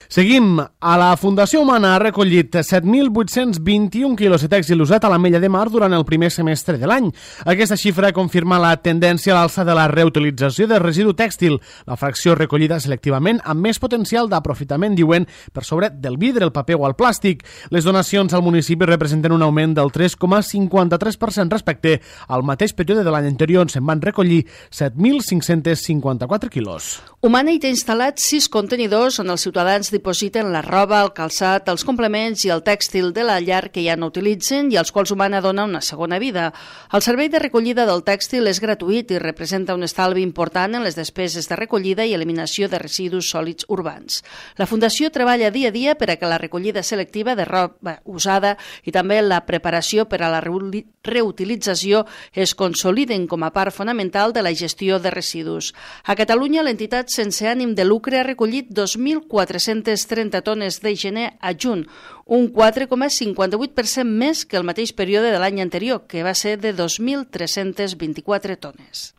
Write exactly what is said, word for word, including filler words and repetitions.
Seguim. A la Fundació Humana ha recollit set mil vuit-cents vint-i-un quilos de tèxtil usat a l'Ametlla de Mar durant el primer semestre de l'any. Aquesta xifra confirma la tendència a l'alça de la reutilització de residu tèxtil, la fracció recollida selectivament amb més potencial d'aprofitament, diuen, per sobre del vidre, el paper o el plàstic. Les donacions al municipi representen un augment del tres coma cinquanta-tres per cent respecte al mateix període de l'any anterior, on se'n van recollir set mil cinc-cents cinquanta-quatre quilos. Humana hi té instal·lats sis contenidors on els ciutadans dipositen la roba, el calçat, els complements i el tèxtil de la llar que ja no utilitzen i als quals Humana dona una segona vida. El servei de recollida del tèxtil és gratuït i representa un estalvi important en les despeses de recollida i eliminació de residus sòlids urbans. La Fundació treballa dia a dia per a que la recollida selectiva de roba usada i també la preparació per a la reutilització es consoliden com a part fonamental de la gestió de residus. A Catalunya, l'entitat sense ànim de lucre ha recollit dos mil quatre-cents trenta tones de gener a juny, un quatre coma cinquanta-vuit per cent més que el mateix període de l'any anterior, que va ser de dos mil tres-cents vint-i-quatre tones.